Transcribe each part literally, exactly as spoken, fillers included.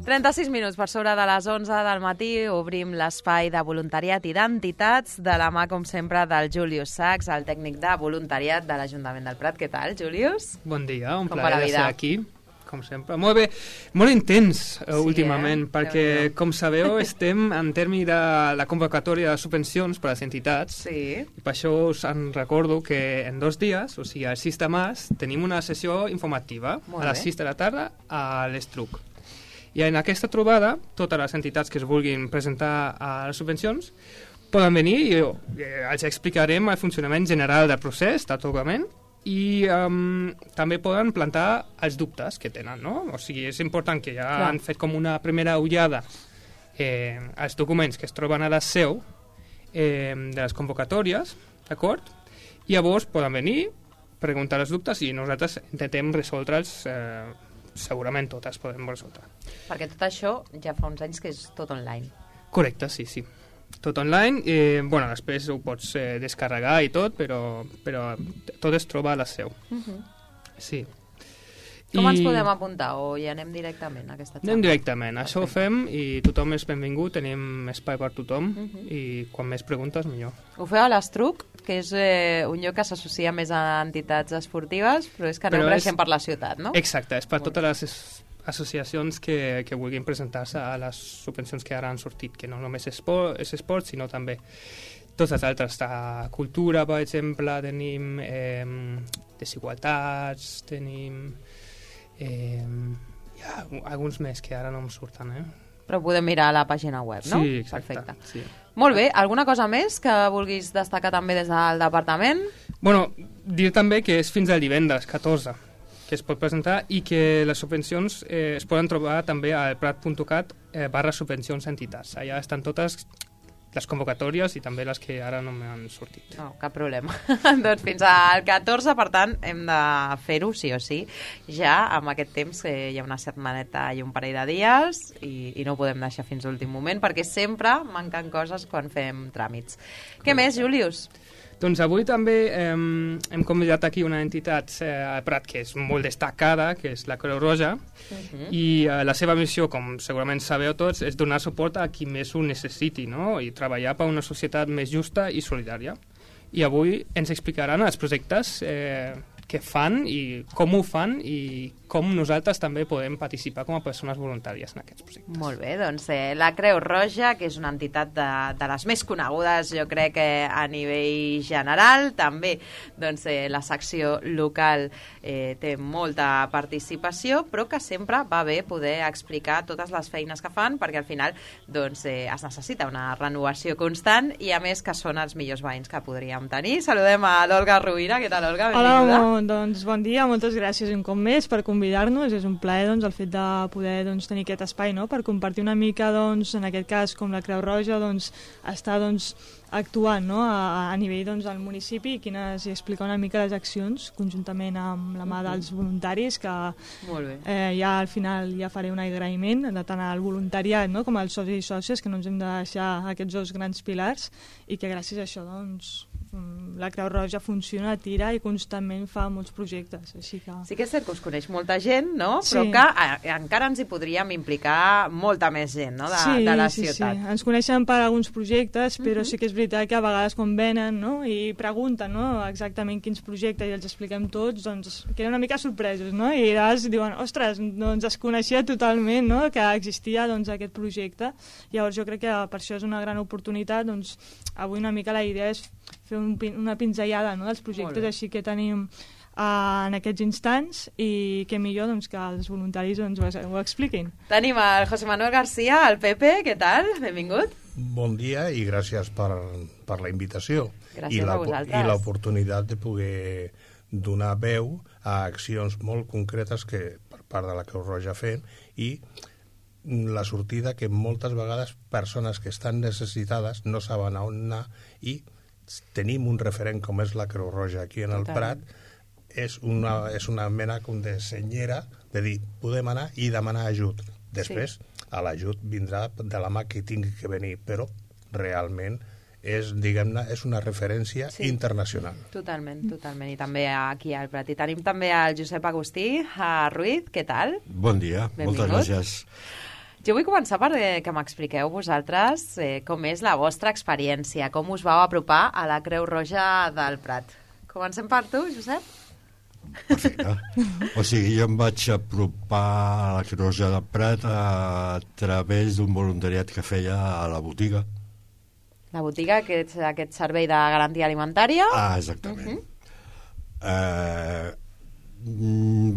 trenta-sis minuts per sobre de les onze del matí obrim l'espai de voluntariat i d'entitats de la mà, com sempre, del Julius Sachs, el tècnic de voluntariat de l'Ajuntament del Prat. Què tal, Julius? Bon dia, un Com plaer va de ser aquí, com sempre. Molt bé, molt intens sí, últimament, eh? perquè, com sabeu, estem en termi de la convocatòria de subvencions per a les entitats, sí. i per això us en recordo que en dos dies, o sigui, el sis de març, tenim una sessió informativa molt a les bé. sis de la tarda a l'Estruc. I en aquesta trobada, totes les entitats que es vulguin presentar a les subvencions poden venir i eh, els explicarem el funcionament general del procés d'atorgament i um, també poden plantar els dubtes que tenen, no? O sigui, és important que ja Clar. han fet com una primera ullada eh, als documents que es troben a la seu eh, de les convocatòries, d'acord? I llavors poden venir, preguntar els dubtes i nosaltres intentem resoldre'ls eh, segurament totes podem resoldre. Perquè tot això ja fa uns anys que és tot online. Correcte, sí, sí. Tot online, eh, bueno, després ho pots eh, descarregar i tot, però, però tot es troba a la seu. Uh-huh. Sí. Com I ens podem apuntar o hi anem directament a aquesta xarxa? anem directament, això ho fem i tothom és benvingut, tenim espai per tothom Uh-huh. i quan més preguntes millor. Ho feu a l'Estruc, que és eh, un lloc que s'associa més a entitats esportives, però és que aneu Però és- creixent per la ciutat, no? Exacte, és per Molt totes les es- associacions que, que vulguin presentar-se a les subvencions que ara han sortit, que no només és esport, és esport sinó també tots els altres. De cultura, per exemple, tenim eh, desigualtats, tenim eh, hi ha alguns més que ara no em surten, eh? Però podem mirar a la pàgina web, no? Sí, exacte. Perfecte. Sí. Molt bé, alguna cosa més que vulguis destacar també des del departament? Bueno, dir també que és fins al divendres catorze que es pot presentar i que les subvencions eh, es poden trobar també al prat punt cat eh, barra subvencions entitats. Allà estan totes les convocatòries i també les que ara no m'han sortit. No, cap problema. Doncs fins al catorze, per tant, hem de fer-ho sí o sí. Ja amb aquest temps eh, hi ha una setmaneta i un parell de dies i, i no ho podem deixar fins a l'últim moment perquè sempre manquen coses quan fem tràmits. Què més, Julius? Doncs avui també eh, hem convidat aquí una entitat eh, al Prat que és molt destacada, que és la Creu Roja, Uh-huh. i eh, la seva missió, com segurament sabeu tots, és donar suport a qui més ho necessiti, no? I treballar per una societat més justa i solidària. I avui ens explicaran els projectes eh, que fan i com ho fan i com nosaltres també podem participar com a persones voluntàries en aquests projectes. Molt bé, doncs eh, la Creu Roja, que és una entitat de, de les més conegudes, jo crec que a nivell general, també doncs, eh, la secció local eh, té molta participació, però que sempre va bé poder explicar totes les feines que fan, perquè al final doncs, eh, es necessita una renovació constant i a més que són els millors veïns que podríem tenir. Saludem a l'Olga Rovira. Què tal, Olga? Benvinguda. Hola, doncs bon dia, moltes gràcies un cop més per convidar-nos, és un plaer doncs, el fet de poder doncs, tenir aquest espai, no?, per compartir una mica, doncs, en aquest cas, com la Creu Roja, doncs, està doncs, actuant, no?, a, a nivell doncs, del municipi i, quines, i explicar una mica les accions conjuntament amb la mà dels voluntaris, que Molt bé. eh, ja al final ja faré un agraïment de tant al voluntariat, no?, com als socis i sòcies, que no ens hem de deixar aquests dos grans pilars i que gràcies a això doncs, la Creu Roja funciona, tira i constantment fa molts projectes, així que... Sí que és cert que us coneix molta gent, no? Sí. Però que a, encara ens hi podríem implicar molta més gent, no?, de, sí, de la sí, ciutat. Sí, ens coneixen per alguns projectes, però Mhm. sí que és veritat que a vegades quan venen, no?, i pregunten, no?, exactament quins projectes i els expliquem tots, doncs queden una mica sorpresos, no?, i llavors diuen, ostres, doncs es coneixia totalment, no?, que existia doncs, aquest projecte. Llavors jo crec que per això és una gran oportunitat, doncs avui una mica la idea és fer un, pin- una pinzellada, no?, dels projectes així que tenim uh, en aquests instants i que millor doncs, que els voluntaris doncs, ho, ho expliquin. Tenim el José Manuel García, el Pepe, què tal? Benvingut. Bon dia i gràcies per, per la invitació Gràcies i la, a vosaltres. i l'oportunitat de poder donar veu a accions molt concretes que per part de la Creu Roja fem i la sortida que moltes vegades persones que estan necessitades no saben a on anar i tenim un referent com és la Creu Roja aquí en el Totalment. Prat, és una, és una mena com de senyera de dir, podem anar i demanar ajut. Després, sí. a l'ajut vindrà de la mà que tingui que venir, però realment és, diguem-ne, és una referència Sí. internacional. Totalment, totalment. I també aquí al Prat. I tenim també el Josep Agustí a Ruiz, què tal? Bon dia, Benvingut. moltes gràcies. Jo vull començar per eh, que m'expliqueu vosaltres eh, com és la vostra experiència, com us vau apropar a la Creu Roja del Prat. Comencem per tu, Josep? Perfecte. O sigui, jo em vaig apropar a la Creu Roja del Prat a través d'un voluntariat que feia a la botiga. La botiga, que és aquest servei de garantia alimentària. Ah, exactament. Uh-huh. eh,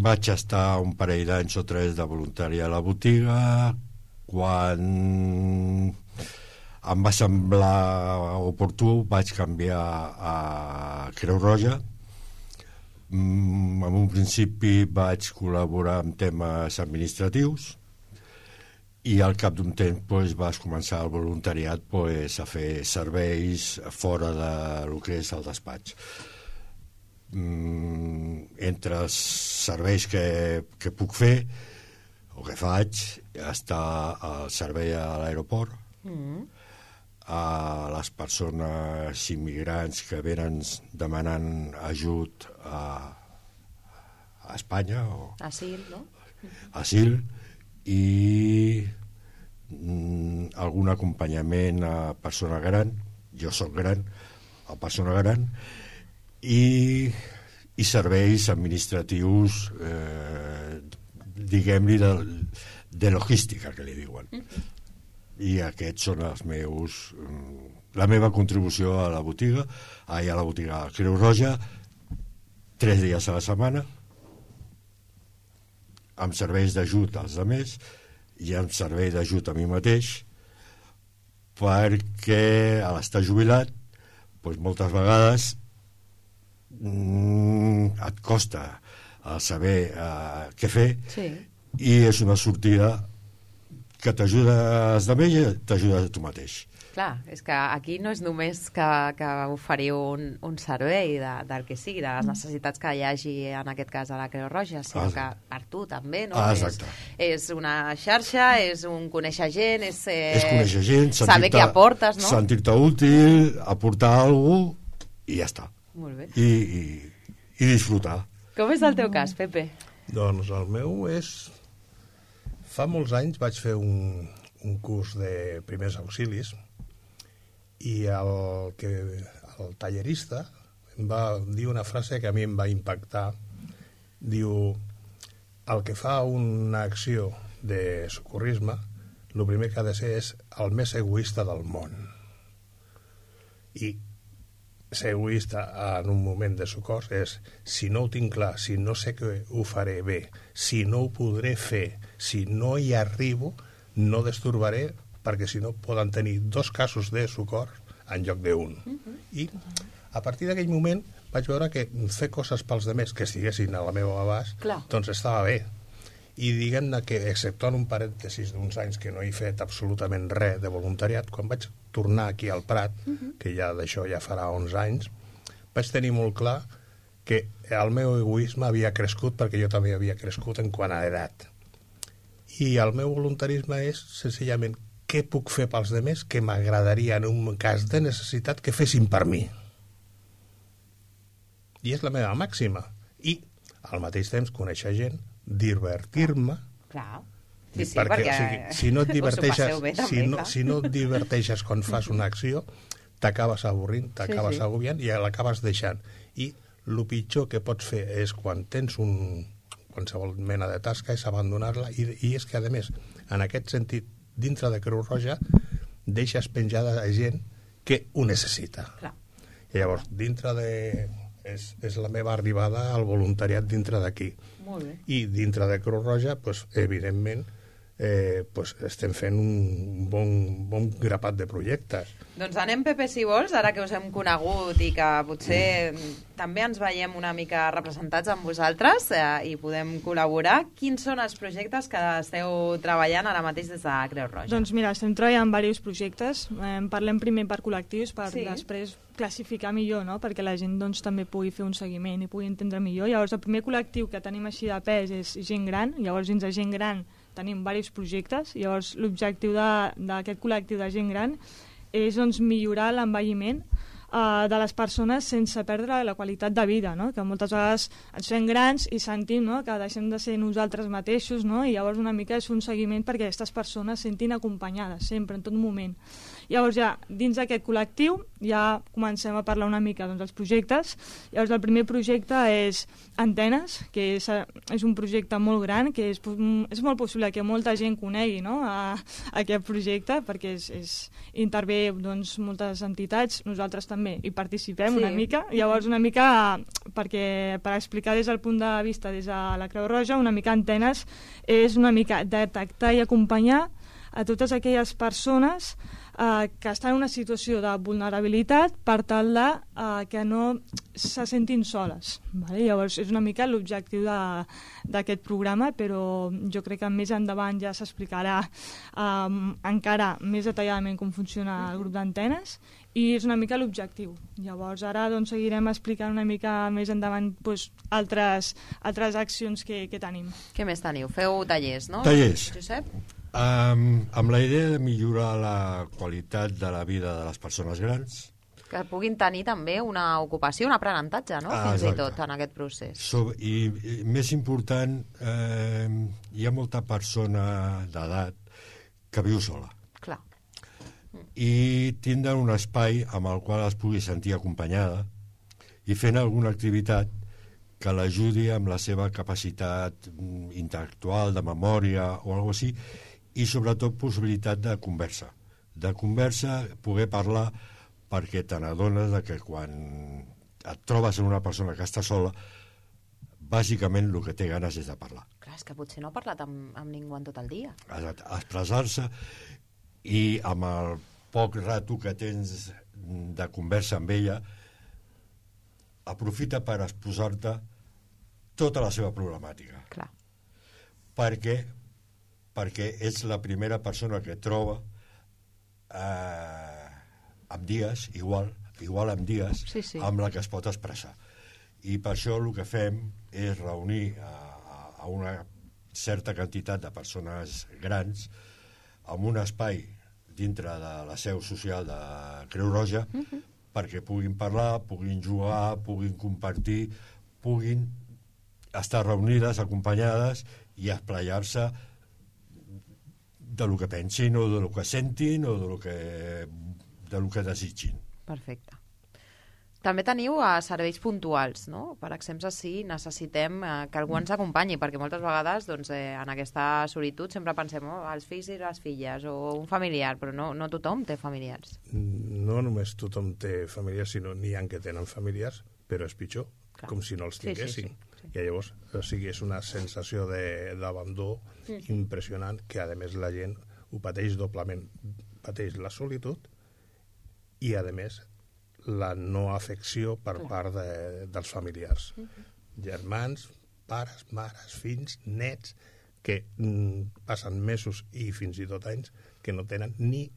vaig estar un parell d'anys o tres de voluntari a la botiga. Quan em va semblar oportú vaig canviar a Creu Roja. Mm, en un principi vaig col·laborar en temes administratius i al cap d'un temps pues, vas començar el voluntariat pues, a fer serveis fora del que és el despatx. Mm, entre els serveis que, que puc fer o que faig està el servei a l'aeroport, mm. a les persones immigrants que venen demanant ajut a, a Espanya o asil, no? Asil i mm, algun acompanyament a persona gran, jo sóc gran, a persona gran, i, i serveis administratius eh, diguem-li de, de logística que li diuen. Mm-hmm. I aquests són els meus la meva contribució a la botiga, ai, a la botiga Creu Roja, tres dies a la setmana amb serveis d'ajut als altres i amb servei d'ajut a mi mateix, perquè a l'estar jubilat doncs moltes vegades mm, et costa a saber uh, què fer, sí. I és una sortida que t'ajuda als altres i t'ajuda a tu mateix. Clar, és que aquí no és només que, que oferiu un, un servei de, del que sigui, de les necessitats que hi hagi en aquest cas a la Creu Roja, sinó ah, que per tu també, no? Ah, exacte. És, és una xarxa, és un conèixer gent, és, eh, és conèixer gent, saber què aportes, no? Sentir-te útil, aportar alguna cosa i ja està. Molt bé. I, i, i disfrutar. Com és el teu cas, Pepe? Doncs el meu és... Fa molts anys vaig fer un, un curs de primers auxilis i el, que, el tallerista em va dir una frase que a mi em va impactar. Diu, el que fa una acció de socorrisme, el primer que ha de ser és el més egoista del món. I ser egoista en un moment de socors és, si no ho tinc clar, si no sé que ho faré bé, si no ho podré fer, si no hi arribo, no destorbaré, perquè si no poden tenir dos casos de socors en lloc d'un. Uh-huh. I a partir d'aquell moment vaig veure que fer coses pels demés que estiguessin a la meva abast, clar, doncs estava bé. I diguem-ne que, exceptuant un parèntesis d'uns anys que no he fet absolutament res de voluntariat, quan vaig tornar aquí al Prat, uh-huh, que ja d'això ja farà onze anys, vaig tenir molt clar que el meu egoisme havia crescut perquè jo també havia crescut en quant a edat. I el meu voluntarisme és, senzillament, què puc fer pels demés que m'agradaria en un cas de necessitat que fessin per mi. I és la meva màxima. I, al mateix temps, conèixer gent, divertir-me. Clar. Sí, sí, perquè, perquè o sigui, si no et diverteixes, bé, també, si, no, si no et diverteixes quan fas una acció, t'acabes avorrint, t'acabes sí, sí. agobiant i l'acabes deixant. I el pitjor que pots fer és quan tens un qualsevol mena de tasca és abandonar-la i, i és que, a més, en aquest sentit, dintre de Creu Roja deixes penjada a gent que ho necessita. Clar. I llavors, dintre de... És, és la meva arribada al voluntariat dintre d'aquí. Molt bé. I dintre de Creu Roja, pues, evidentment, eh, pues, estem fent un bon, bon grapat de projectes. Doncs anem, Pepe, si vols, ara que us hem conegut i que potser mm. també ens veiem una mica representats amb vosaltres eh, i podem col·laborar. Quins són els projectes que esteu treballant ara mateix des de Creu Roja? Doncs mira, estem treballant en diversos projectes. Eh, parlem primer per col·lectius, per sí. després classificar millor, no? Perquè la gent doncs, també pugui fer un seguiment i pugui entendre millor. Llavors, el primer col·lectiu que tenim així de pes és gent gran. Llavors, dins de gent gran tenim diversos projectes. Llavors, l'objectiu d'aquest col·lectiu de gent gran és doncs, millorar l'envelliment uh, de les persones sense perdre la qualitat de vida, no? Que moltes vegades ens fem grans i sentim, no?, que deixem de ser nosaltres mateixos, no? I llavors una mica és un seguiment perquè aquestes persones sentin acompanyades sempre, en tot moment. Llavors ja, dins d'aquest col·lectiu, ja comencem a parlar una mica doncs, dels projectes. Llavors el primer projecte és Antenes, que és, és un projecte molt gran, que és, és molt possible que molta gent conegui, no?, a, a aquest projecte, perquè és, és, intervé doncs, moltes entitats, nosaltres també hi participem, sí, una mica. Llavors una mica, perquè per explicar des del punt de vista des de la Creu Roja, una mica Antenes és una mica detectar i acompanyar a totes aquelles persones eh, que estan en una situació de vulnerabilitat per tal de eh, que no se sentin soles. Vale? Llavors és una mica l'objectiu d'aquest programa, però jo crec que més endavant ja s'explicarà eh, encara més detalladament com funciona el grup d'Antenes i és una mica l'objectiu. Llavors ara doncs, seguirem explicant una mica més endavant doncs, altres, altres accions que, que tenim. Què més teniu? Feu tallers, no? Tallers. Josep? Um, amb la idea de millorar la qualitat de la vida de les persones grans. Que puguin tenir també una ocupació, un aprenentatge, no? Ah, Fins exacte. i tot en aquest procés. So, i, I més important, eh, hi ha molta persona d'edat que viu sola. Clar. I tindran un espai amb el qual es pugui sentir acompanyada i fent alguna activitat que l'ajudi amb la seva capacitat intel·lectual, de memòria o alguna cosa així, i sobretot possibilitat de conversa. De conversa, poder parlar, perquè te n'adones de que quan et trobes en una persona que està sola, bàsicament el que té ganes és de parlar. Clar, és que potser no ha parlat amb, amb ningú en tot el dia. Expressar-se, i amb el poc rato que tens de conversa amb ella, aprofita per exposar-te tota la seva problemàtica. Clar. Perquè, perquè és la primera persona que troba eh, amb dies, igual, igual amb dies, sí, sí. amb la que es pot expressar. I per això el que fem és reunir a, a una certa quantitat de persones grans en un espai dintre de la seu social de Creu Roja, uh-huh, perquè puguin parlar, puguin jugar, puguin compartir, puguin estar reunides, acompanyades i esplayar-se de lo que pensin o de lo que sentin o de lo que, de lo que desitgin. Perfecte. També teniu uh, serveis puntuals, no? Per exemple, si necessitem uh, que algú ens acompanyi, perquè moltes vegades doncs, eh, en aquesta solitud sempre pensem oh, els fills i les filles o un familiar, però no, no tothom té familiars. No només tothom té familiars, sinó n'hi ha que tenen familiars, però és pitjor, clar, com si no els tinguessin. Sí, sí, sí, sí. I llavors, o sigui, és una sensació d'abandó sí, impressionant, que a més la gent ho pateix doblement. Pateix la solitud i a més la no afecció per clar, part de, dels familiars. Uh-huh. Germans, pares, mares, fills, nets, que mm, passen mesos i fins i tot anys que no tenen ni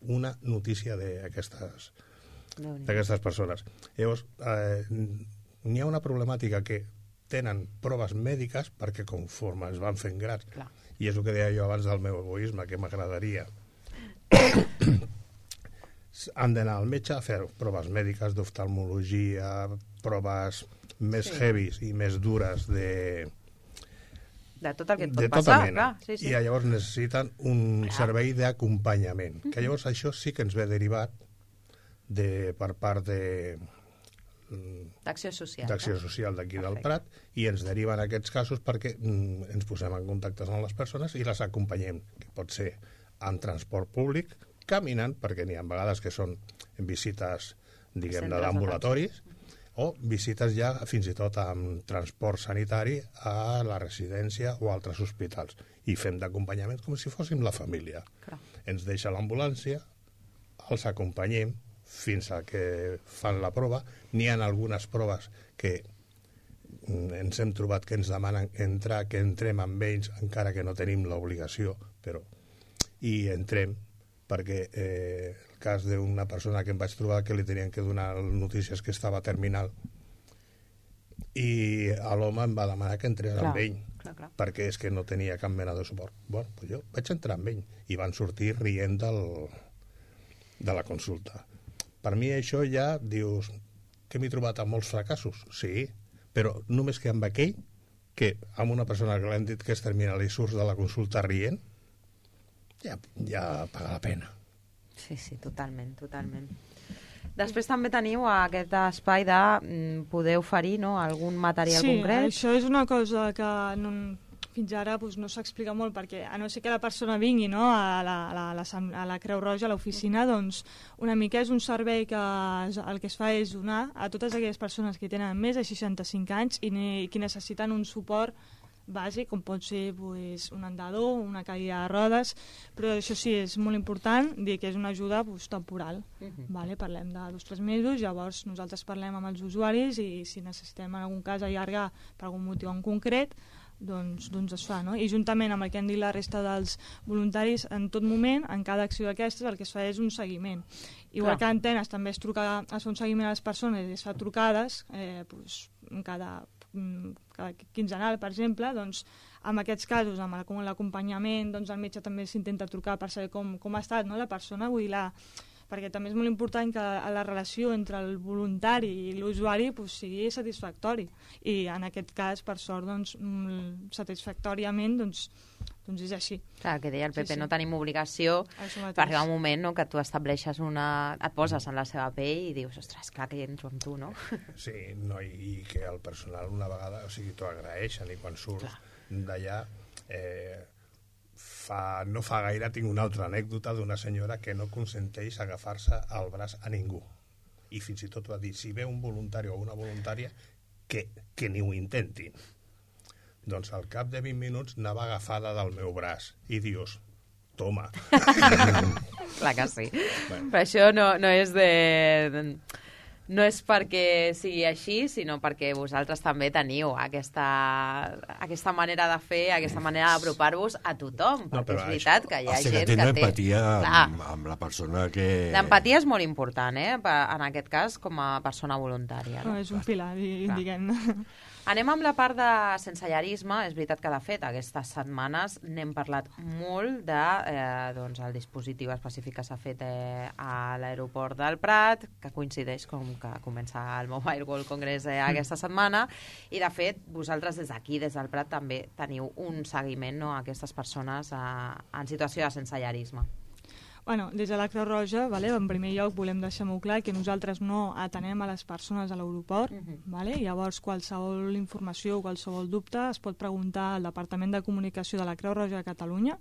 una notícia d'aquestes d'aquestes persones. Llavors, eh, n'hi ha una problemàtica que tenen proves mèdiques perquè conforme es van fent grans, clar, i és el que deia jo abans del meu egoisme, que m'agradaria han d'anar al metge a fer proves mèdiques d'oftalmologia, proves més sí, heavies i més dures de de tot el que et pot passar, clar, sí, sí. I llavors necessiten un clar, servei d'acompanyament, que llavors això sí que ens ve derivat de, per part de d'acció social, d'acció social d'aquí del Prat, i ens deriven aquests casos perquè mm, ens posem en contacte amb les persones i les acompanyem, que pot ser en transport públic, caminant, perquè n'hi ha vegades que són visites, diguem, d'ambulatoris, o visites ja fins i tot amb transport sanitari a la residència o altres hospitals. I fem d'acompanyament com si fóssim la família. Clar. Ens deixa l'ambulància, els acompanyem fins a que fan la prova. N'hi ha algunes proves que ens hem trobat que ens demanen entrar, que entrem amb ells, encara que no tenim l'obligació, però i entrem, perquè eh, el cas d'una persona que em vaig trobar que li tenien que donar notícies que estava terminal i l'home em va demanar que entrés clar, amb ell clar, clar. Perquè és que no tenia cap mena de suport. Bueno, doncs jo vaig entrar amb ell i van sortir rient del, de la consulta, Per mi això ja dius que m'he trobat amb molts fracassos, sí, però només que amb aquell, que amb una persona que l'hem dit que és terminal i surts de la consulta rient, ja, ja paga la pena. Sí, sí, totalment, totalment. Després també teniu aquest espai de mm, poder oferir, no?, algun material sí, concret. Sí, això és una cosa que no, fins ara doncs, no s'explica molt, perquè a no ser que la persona vingui, no, a, la, a, la, a la Creu Roja, a l'oficina, doncs una mica és un servei que es, el que es fa és donar a totes aquelles persones que tenen més de seixanta-cinc anys i, ne, i que necessiten un suport bàsic, com pot ser pues, un andador, una cadira de rodes, però això sí, és molt important dir que és una ajuda pues, temporal. Uh-huh. Vale? Parlem de dos o tres mesos, llavors nosaltres parlem amb els usuaris i si necessitem en algun cas allargar per algun motiu en concret, doncs, doncs es fa, no? I juntament amb el que han dit la resta dels voluntaris, en tot moment, en cada acció d'aquestes, el que es fa és un seguiment. Igual Clar. que a Antenes també es, truca, es fa un seguiment a les persones i es fa trucades, eh, pues, cada cada quinzenal, per exemple, doncs, en aquests casos, amb l'acompanyament, doncs, el metge també s'intenta trucar per saber com, com ha estat, no?, la persona, vull dir, la, perquè també és molt important que la relació entre el voluntari i l'usuari pues, sigui satisfactori. I en aquest cas, per sort, doncs, satisfactòriament, doncs, doncs és així. Clar, que deia el Pepe, sí, sí. no tenim obligació, per arribar un moment no, que tu estableixes una... et poses en la seva pell i dius, ostres, clar que hi entro amb tu, no? Sí, no, i, i que el personal una vegada, o sigui, t'ho agraeixen i quan surts d'allà... Eh, fa, no fa gaire tinc una altra anècdota d'una senyora que no consenteix agafar-se al braç a ningú. I fins i tot va dir, si ve un voluntari o una voluntària, que, que ni ho intentin. Doncs al cap de vint minuts anava agafada del meu braç i dius, toma. Clar que sí. Bueno. Però això no, no és de... no és perquè sigui així, sinó perquè vosaltres també teniu aquesta, aquesta manera de fer, aquesta manera d'apropar-vos a tothom, perquè no, és veritat que hi ha o sigui, gent que té... empatia amb, amb la persona que... L'empatia és molt important, eh? En aquest cas, com a persona voluntària. No? No, és un pilar, diguem-ne. Anem amb la part de sensellarisme. És veritat que, de fet, aquestes setmanes n'hem parlat molt de eh, doncs, el dispositiu específic que s'ha fet eh, a l'aeroport del Prat, que coincideix com que comença el Mobile World Congress eh, aquesta setmana, i, de fet, vosaltres des d'aquí, des del Prat, també teniu un seguiment, no?, a aquestes persones eh, en situació de sensellarisme. Bueno, des de la Creu Roja, vale, en primer lloc volem deixar molt clar que nosaltres no atenem a les persones a l'aeroport, uh-huh. vale? Llavors qualsevol informació o qualsevol dubte es pot preguntar al Departament de Comunicació de la Creu Roja de Catalunya,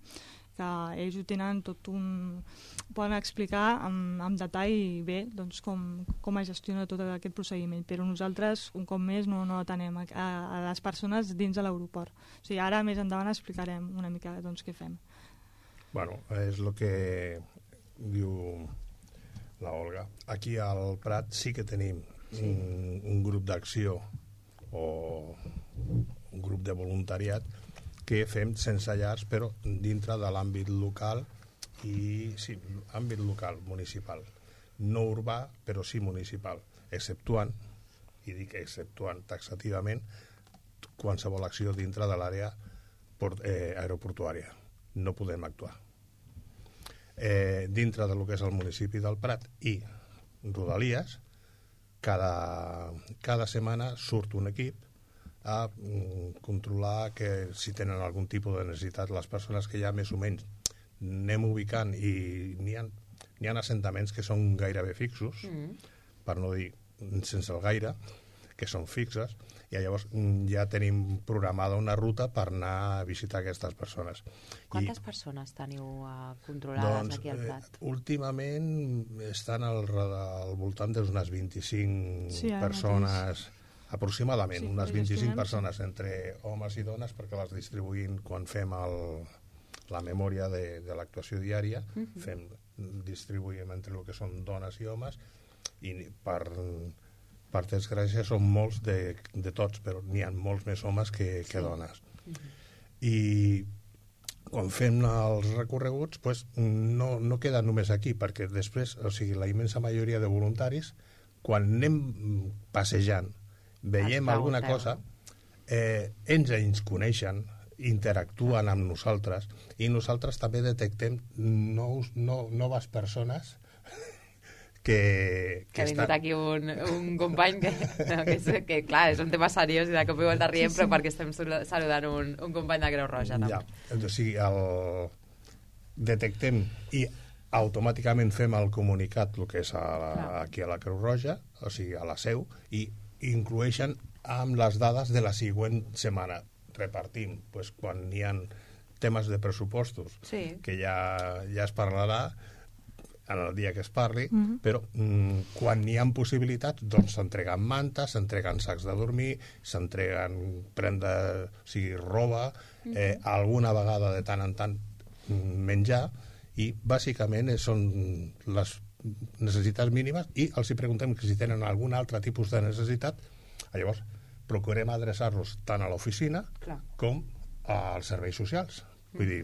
que ells ho tenen tot un... poden explicar amb, amb detall i bé doncs, com, com es gestiona tot aquest procediment, però nosaltres, un cop més, no, no atenem a, a les persones dins de l'aeroport. O sigui, ara més endavant explicarem una mica doncs, què fem. Bueno, és el que diu la Olga. Aquí al Prat sí que tenim sí. un, un grup d'acció o un grup de voluntariat que fem sense llars, però dintre de l'àmbit local i sí, àmbit local, municipal. No urbà, però sí municipal, exceptuant, i dic exceptuant taxativament, qualsevol acció dintre de l'àrea eh, aeroportuària. No podem actuar. Eh, dintre del que és el municipi del Prat i Rodalies, cada, cada setmana surt un equip a mm, controlar que si tenen algun tipus de necessitat les persones que ja més o menys anem ubicant, i n'hi ha, n'hi ha assentaments que són gairebé fixos, mm. per no dir sense el gaire, que són fixes, i llavors ja tenim programada una ruta per anar a visitar aquestes persones. Quantes I, persones teniu uh, controlades doncs, aquí al Prat? Eh, últimament estan al, al voltant d'unes vint-i-cinc sí, persones, mateix. aproximadament, sí, unes vint-i-cinc persones entre homes i dones, perquè les distribuïm quan fem el, la memòria de, de l'actuació diària, uh-huh. fem, distribuïm entre el que són dones i homes, i per... per desgràcia són molts de, de tots, però n'hi ha molts més homes que, que dones. Uh-huh. I quan fem els recorreguts, pues, no, no queda només aquí, perquè després, o sigui, la immensa majoria de voluntaris, quan anem passejant, veiem alguna cosa, eh, ens ens coneixen, interactuen amb nosaltres, i nosaltres també detectem nous, no, noves persones que... Que ha vingut aquí un, un company que, no, que, és, que, clar, és un tema seriós i de cop i volta riem, sí, sí. però perquè estem saludant un, un company de Creu Roja, també. Ja, o sigui, el... detectem i automàticament fem el comunicat, el que és a la, aquí a la Creu Roja, o sigui, a la seu, i inclueixen amb les dades de la següent setmana. Repartim, pues, quan hi ha temes de pressupostos, sí. que ja, ja es parlarà en el dia que es parli, mm-hmm. però mm, quan hi ha possibilitats, doncs s'entreguen mantes, s'entreguen sacs de dormir, s'entreguen prenda, o sigui, roba, mm-hmm. eh, alguna vegada de tant en tant menjar, i bàsicament són les necessitats mínimes, i els hi preguntem si tenen algun altre tipus de necessitat. Llavors procurem adreçar-los tant a l'oficina Clar. com als serveis socials. Vull dir...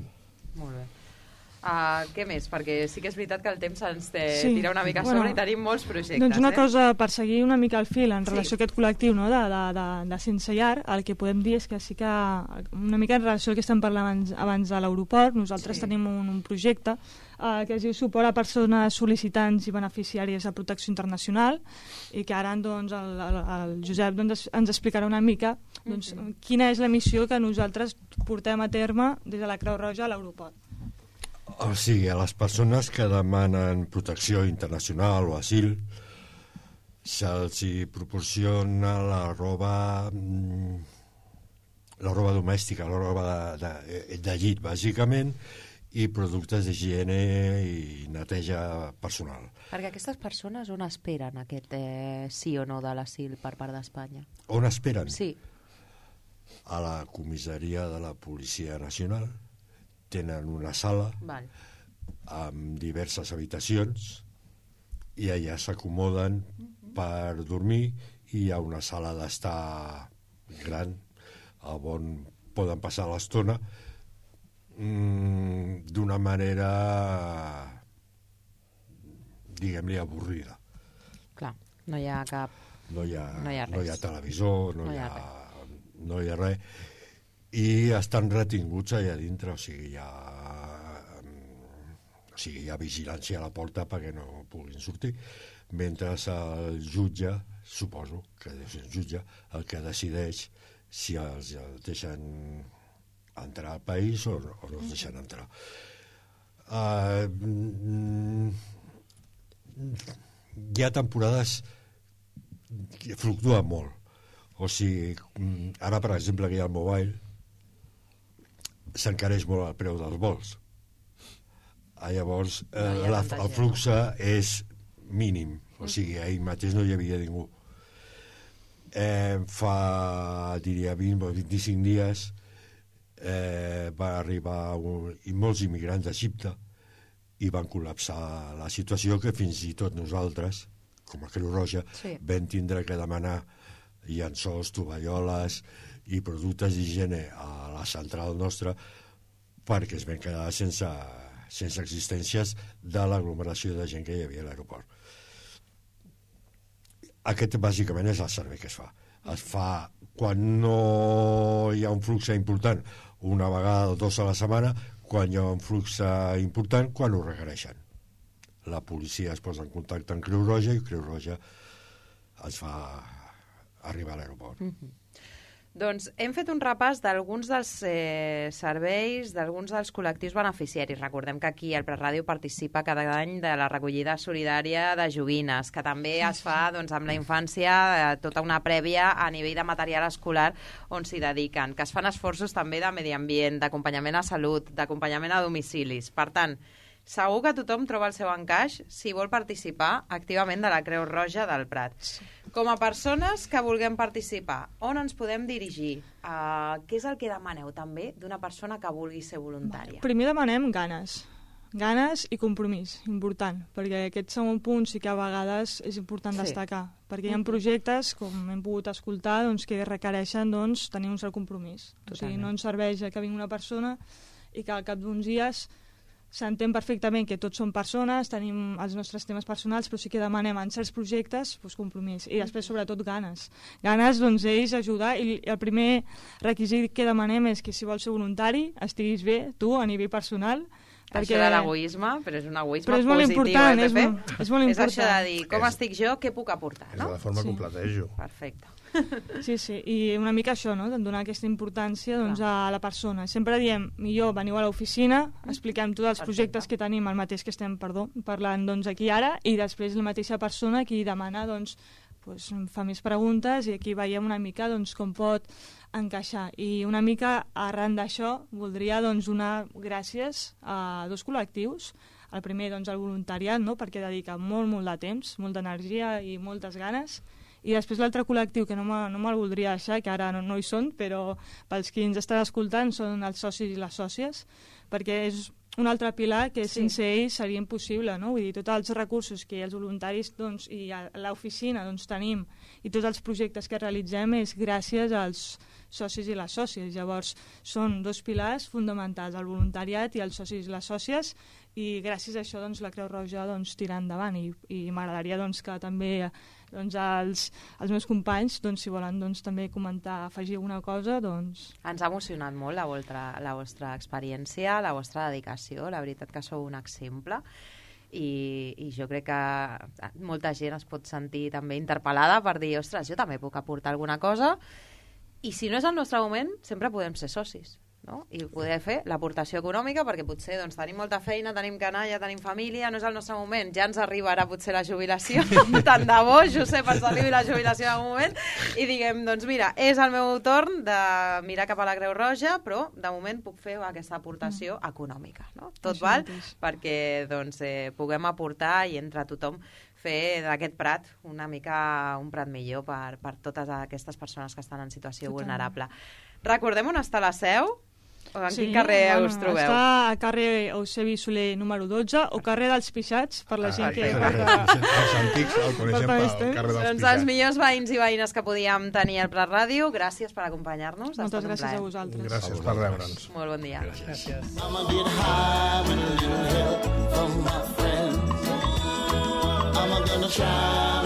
Molt bé. Uh, què més? Perquè sí que és veritat que el temps ens té, sí. tira una mica a sobre bueno, i tenim molts projectes. Doncs una eh? cosa, per seguir una mica el fil en relació sí. a aquest col·lectiu, no? de, de, de, de sense llar, el que podem dir és que sí que una mica en relació al que estem parlant abans, abans de l'aeroport, nosaltres sí. tenim un, un projecte uh, que es diu Suport a persones sol·licitants i beneficiàries de protecció internacional, i que ara doncs, el, el, el Josep doncs, ens explicarà una mica doncs, mm-hmm. quina és la missió que nosaltres portem a terme des de la Creu Roja a l'aeroport. O sigui, a les persones que demanen protecció internacional o asil se'ls proporciona la roba la roba domèstica, la roba de, de, de llit, bàsicament, i productes d'higiene i neteja personal. Perquè aquestes persones on esperen aquest eh, sí o no de l'asil per part d'Espanya? On esperen? Sí. A la comissaria de la Policia Nacional. Tenen una sala Val. amb diverses habitacions i allà s'acomoden uh-huh. per dormir, i hi ha una sala d'estar gran on poden passar l'estona mm, d'una manera diguem-li avorrida. Clar, no hi ha cap... No hi ha, no hi ha, no hi ha televisor, no, no hi hi ha, ha no hi ha res, i estan retinguts allà dintre, o sigui, hi ha, o sigui, hi ha vigilància a la porta perquè no puguin sortir, mentre el jutge, suposo que deu ser el jutge, el que decideix si els deixen entrar al país o, o no els deixen entrar. Uh, hi ha temporades que fluctuen molt. O sigui, ara, per exemple, que hi ha el mobile, s'encareix molt el preu dels vols. Ah, llavors, eh, no la, el flux és mínim, o sigui, ahir mateix no hi havia ningú. Eh, fa, diria, vint o vint-i-cinc dies eh, va arribar un, i molts immigrants d'Egipte i van col·lapsar la situació, que fins i tot nosaltres, com a Creu Roja, sí. vam tindre que demanar llençols, tovalloles i productes d'higiene a la central nostra, perquè es van quedar sense, sense existències de l'aglomeració de gent que hi havia a l'aeroport. Aquest bàsicament és el servei que es fa. Es fa quan no hi ha un flux important, una vegada o dos a la setmana, quan hi ha un flux important, quan ho requereixen. La policia es posa en contacte amb Creu Roja i Creu Roja es fa arribar a l'aeroport. Mm-hmm. Doncs hem fet un repàs d'alguns dels eh, serveis, d'alguns dels col·lectius beneficiaris. Recordem que aquí al Preràdio participa cada any de la recollida solidària de joguines, que també es fa doncs, amb la infància eh, tota una prèvia a nivell de material escolar on s'hi dediquen, que es fan esforços també de medi ambient, d'acompanyament a salut, d'acompanyament a domicilis. Per tant, segur que tothom troba el seu encaix si vol participar activament de la Creu Roja del Prat. Com a persones que vulguem participar, on ens podem dirigir? Uh, què és el que demaneu també d'una persona que vulgui ser voluntària? Primer demanem ganes. Ganes i compromís, important, perquè aquest segon punt sí que a vegades és important sí. destacar, perquè hi ha projectes, com hem pogut escoltar, doncs, que requereixen doncs, tenir un cert compromís. Totalment. O sigui, no ens serveix que vingui una persona i que al cap d'uns dies s'entén perfectament que tots som persones, tenim els nostres temes personals, però sí que demanem en certs projectes doncs, compromís. I després, sobretot, ganes. Ganes, doncs, ells ajudar. I el primer requisit que demanem és que si vols ser voluntari, estiguis bé, tu, a nivell personal, Perquè... Això de l'egoisme, però és un egoisme però és molt positiu, important, eh, Pepe? És, molt, és molt important. És això de dir, com és, estic jo, què puc aportar, no? És de la forma sí. com platejo. Perfecte. Sí, sí, i una mica això, no? Donar aquesta importància doncs, a la persona. Sempre diem, millor veniu a l'oficina, expliquem tots els Perfecte. projectes que tenim, el mateix que estem, perdó, parlant doncs, aquí ara, i després la mateixa persona qui demana, doncs, doncs, fa més preguntes i aquí veiem una mica doncs, com pot encaixar. I una mica arran d'això voldria doncs, donar gràcies a dos col·lectius. El primer, doncs, el voluntariat, no? Perquè dedica molt, molt de temps, molta energia i moltes ganes. I després l'altre col·lectiu, que no me'l no me voldria deixar, que ara no, no hi són, però pels qui ens estan escoltant són els socis i les sòcies, perquè és un altre pilar que sí. sense ells seria impossible, no? Vull dir, tots els recursos que els voluntaris doncs, i a l'oficina doncs, tenim i tots els projectes que realitzem és gràcies als socis i les sòcies. Llavors, són dos pilars fonamentals, el voluntariat i els socis i les sòcies, i gràcies a això doncs, la Creu Roja doncs, tira endavant i, i m'agradaria doncs, que també doncs, els, els meus companys, doncs, si volen doncs, també comentar, afegir alguna cosa, doncs... Ens ha emocionat molt la vostra, la vostra experiència, la vostra dedicació, la veritat que sou un exemple i, i jo crec que molta gent es pot sentir també interpel·lada per dir, ostres, jo també puc aportar alguna cosa i si no és el nostre moment, sempre podem ser socis. No? I poder fer l'aportació econòmica perquè potser doncs, tenim molta feina, tenim canalla, tenim família, no és el nostre moment, ja ens arribarà potser la jubilació, tant de bo, Josep, ens arribi la jubilació en algun moment i diguem, doncs mira, és el meu torn de mirar cap a la Creu Roja, però de moment puc fer aquesta aportació mm. econòmica, no? Tot Això val mateix. Perquè doncs, eh, puguem aportar i entre tothom fer d'aquest prat una mica un prat millor per, per totes aquestes persones que estan en situació Total. vulnerable. Recordem on està la seu? O en sí, quin carrer bueno, us trobeu? Està a carrer Eusebi Soler número dotze o carrer dels Pixats, per la gent ah, que... Ah, porta... Els antics el coneixem pel carrer dels doncs Pixats. Els millors veïns i veïnes que podíem tenir al Prat Ràdio, gràcies per acompanyar-nos. Moltes gràcies a vosaltres. Gràcies per reure'ns. Molt bon dia. Gràcies. Mama get high with a little help from my friends. I'm gonna try